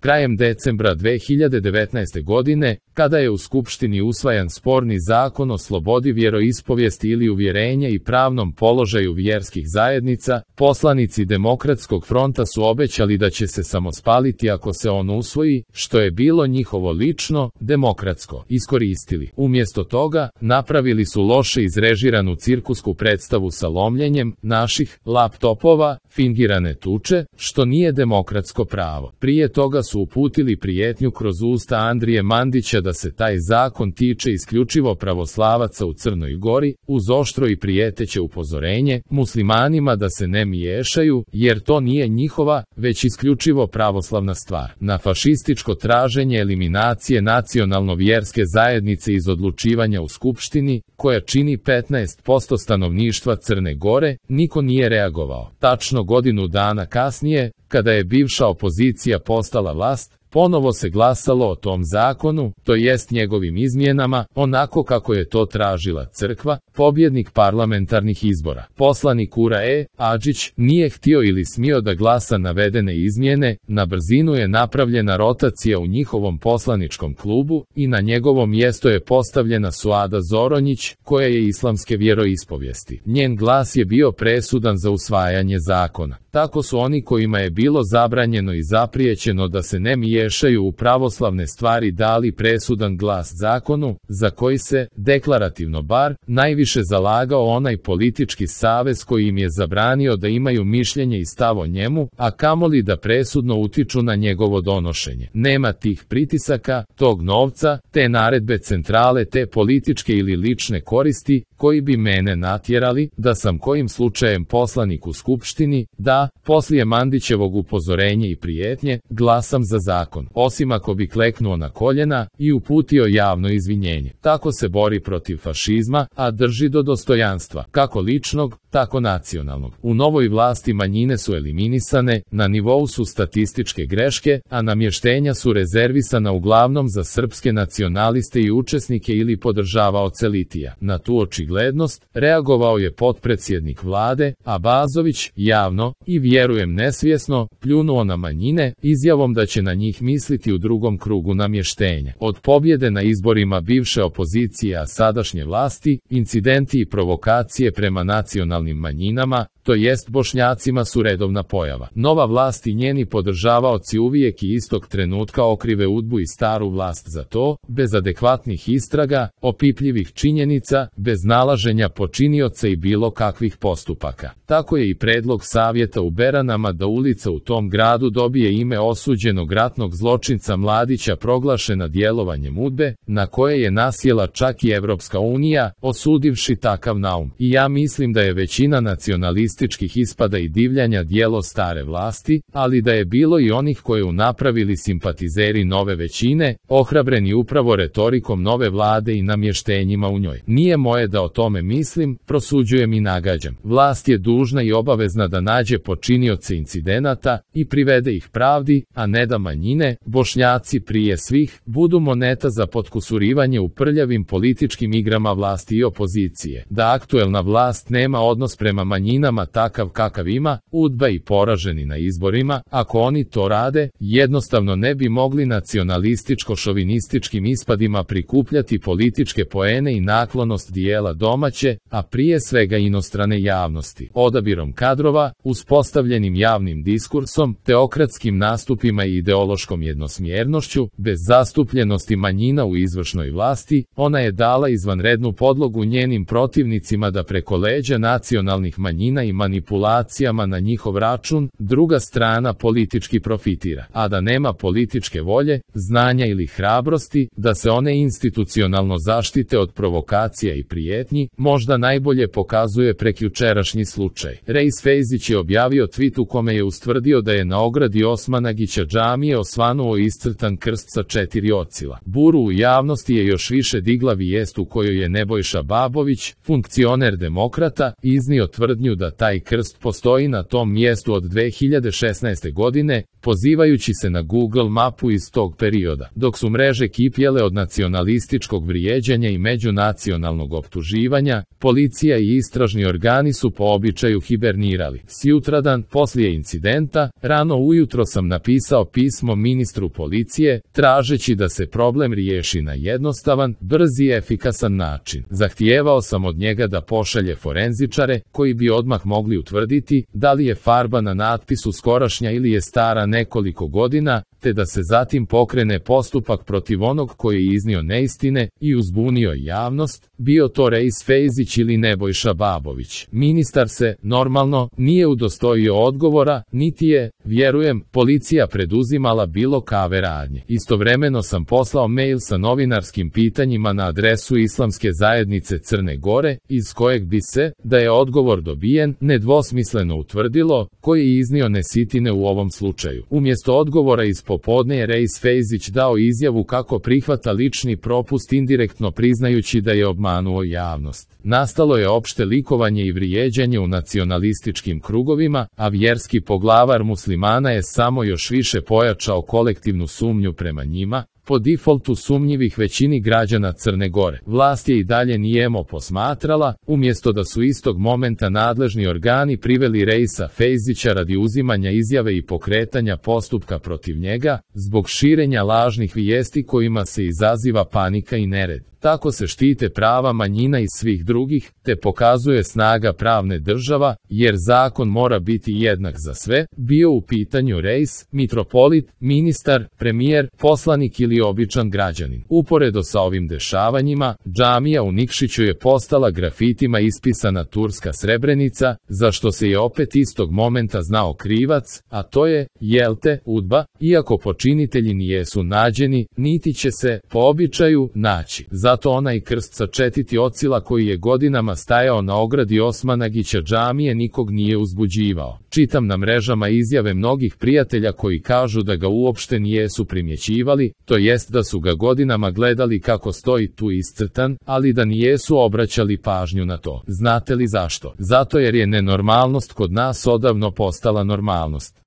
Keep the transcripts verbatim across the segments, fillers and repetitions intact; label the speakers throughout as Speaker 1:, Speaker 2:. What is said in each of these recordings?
Speaker 1: Krajem decembra dve hiljade devetnaeste. godine, kada je u Skupštini usvajan sporni zakon o slobodi vjeroispovijesti ili uvjerenja i pravnom položaju vjerskih zajednica, poslanici Demokratskog fronta su obećali da će se samospaliti ako se on usvoji, što je bilo njihovo lično, demokratsko, iskoristili. Umjesto toga, napravili su loše izrežiranu cirkusku predstavu sa lomljenjem naših laptopova, fingirane tuče, što nije demokratsko pravo. Prije toga su uputili prijetnju kroz usta Andrije Mandića da se taj zakon tiče isključivo pravoslavaca u Crnoj Gori, uz oštro i prijeteće upozorenje muslimanima da se ne miješaju, jer to nije njihova, već isključivo pravoslavna stvar. Na fašističko traženje eliminacije nacionalno-vjerske zajednice iz odlučivanja u Skupštini, koja čini petnaest posto stanovništva Crne Gore, niko nije reagovao. Tačno godinu dana kasnije, kada je bivša opozicija postala vlast, ponovo se glasalo o tom zakonu, to jest njegovim izmjenama, onako kako je to tražila crkva, pobjednik parlamentarnih izbora. Poslanik Ura E. Adžić nije htio ili smio da glasa navedene izmjene, na brzinu je napravljena rotacija u njihovom poslaničkom klubu i na njegovo mjesto je postavljena Suada Zoronjić, koja je islamske vjeroispovijesti. Njen glas je bio presudan za usvajanje zakona. Tako su oni kojima je bilo zabranjeno i zapriječeno da se ne miješaju u pravoslavne stvari dali presudan glas zakonu, za koji se, deklarativno bar, najviše zalagao onaj politički savez koji im je zabranio da imaju mišljenje i stav o njemu, a kamoli da presudno utiču na njegovo donošenje. Nema tih pritisaka, tog novca, te naredbe centrale, te političke ili lične koristi, koji bi mene natjerali, da sam kojim slučajem poslanik u Skupštini, da, poslije Mandićevog upozorenja i prijetnje, glasam za zakon, osim ako bi kleknuo na koljena i uputio javno izvinjenje. Tako se bori protiv fašizma, a drži do dostojanstva, kako ličnog, tako nacionalnog. U novoj vlasti manjine su eliminisane, na nivou su statističke greške, a namještenja su rezervisana uglavnom za srpske nacionaliste i učesnike ili podržavaoce litija. Na tu očiglednost reagovao je potpredsjednik vlade, Abazović, javno, i vjerujem nesvjesno, pljunuo na manjine, izjavom da će na njih misliti u drugom krugu namještenja. Od pobjede na izborima bivše opozicije a sadašnje vlasti, incidenti i provokacije prema nacionalnim manjinama, to jest Bošnjacima, su redovna pojava. Nova vlast i njeni podržavaoci uvijek i istog trenutka okrive udbu i staru vlast za to, bez adekvatnih istraga, opipljivih činjenica, bez nalaženja počinioca i bilo kakvih postupaka. Tako je i predlog savjeta u Beranama da ulica u tom gradu dobije ime osuđenog ratnog zločinca Mladića proglašena djelovanjem udbe, na koje je nasjela čak i Evropska unija, osudivši takav naum. I ja mislim da je većina nacionalističkih ispada i divljanja djelo stare vlasti, ali da je bilo i onih koje unapravili simpatizeri nove većine, ohrabreni upravo retorikom nove vlade i namještenjima u njoj. Nije moje da o tome mislim, prosuđujem i nagađam. Vlast je dužna i obavezna da nađe počinioce incidenata i privede ih pravdi, a ne da manjine, Bošnjaci prije svih, budu moneta za potkusurivanje u prljavim političkim igrama vlasti i opozicije. Da aktuelna vlast nema odnos prema manjinama takav kakav ima, udba i poraženi na izborima, ako oni to rade, jednostavno ne bi mogli nacionalističko-šovinističkim ispadima prikupljati političke poene i naklonost dijela domaće, a prije svega inostrane javnosti. Odabirom kadrova, uspostavljenim javnim diskursom, teokratskim nastupima i ideološkom jednosmjernošću, bez zastupljenosti manjina u izvršnoj vlasti, ona je dala izvanrednu podlogu njenim protivnicima da preko leđa nacionalnih manjina i manipulacijama na njihov račun, druga strana politički profitira, a da nema političke volje, znanja ili hrabrosti, da se one institucionalno zaštite od provokacija i prijetnji, možda najbolje pokazuje prekjučerašnji slučaj. Rejs Fejzić je objavio tweet u kome je ustvrdio da je na ogradi Osmanagića džamije osvanuo iscrtan krst sa četiri ocila. Buru u javnosti je još više digla vijest u kojoj je Nebojša Babović, funkcioner demokrata, iznio tvrdnju da taj krst postoji na tom mjestu od dve hiljade šesnaeste godine, pozivajući se na Google mapu iz tog perioda. Dok su mreže kipjele od nacionalističkog vrijeđanja i međunacionalnog optuživanja, policija i istražni organi su po običaju hibernirali. Sjutradan, poslije incidenta, rano ujutro sam napisao pismo ministru policije, tražeći da se problem riješi na jednostavan, brz i efikasan način. Zahtijevao sam od njega da pošalje forenzičare, koji bi odmah mogli utvrditi da li je farba na natpisu skorašnja ili je stara nekoliko godina, te da se zatim pokrene postupak protiv onog koji je iznio neistine i uzbunio javnost, bio to Rejs Fejzić ili Nebojša Babović. Ministar se, normalno, nije udostojio odgovora, niti je, vjerujem, policija preduzimala bilo kakve radnje. Istovremeno sam poslao mail sa novinarskim pitanjima na adresu Islamske zajednice Crne Gore, iz kojeg bi se, da je odgovor dobijen, nedvosmisleno utvrdilo koji je iznio nesitine u ovom slučaju. Umjesto odgovora iz popodne je Rejs Fejzić dao izjavu kako prihvata lični propust, indirektno priznajući da je obmanuo javnost. Nastalo je opšte likovanje i vrijeđanje u nacionalističkim krugovima, a vjerski poglavar muslimana je samo još više pojačao kolektivnu sumnju prema njima, po defaultu sumnjivih većini građana Crne Gore. Vlast je i dalje nijemo posmatrala, umjesto da su istog momenta nadležni organi priveli Rejsa Fejzića radi uzimanja izjave i pokretanja postupka protiv njega, zbog širenja lažnih vijesti kojima se izaziva panika i nered. Tako se štite prava manjina i svih drugih, te pokazuje snaga pravne država, jer zakon mora biti jednak za sve, bio u pitanju Rejs, mitropolit, ministar, premijer, poslanik ili običan građanin. Uporedo sa ovim dešavanjima, džamija u Nikšiću je postala grafitima ispisana turska Srebrenica, za što se je opet istog momenta znao krivac, a to je, jelte, UDBA, iako počinitelji nijesu nađeni, niti će se, po običaju, naći. Zato onaj krst sa četiri ocila koji je godinama stajao na ogradi Osmanagića džamije nikog nije uzbuđivao. Čitam na mrežama izjave mnogih prijatelja koji kažu da ga uopšte nijesu primjećivali, to jest da su ga godinama gledali kako stoji tu iscrtan, ali da nijesu obraćali pažnju na to. Znate li zašto? Zato jer je nenormalnost kod nas odavno postala normalnost.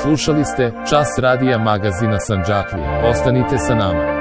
Speaker 1: Slušali ste Čas radija magazina Sandžaklije. Ostanite sa nama.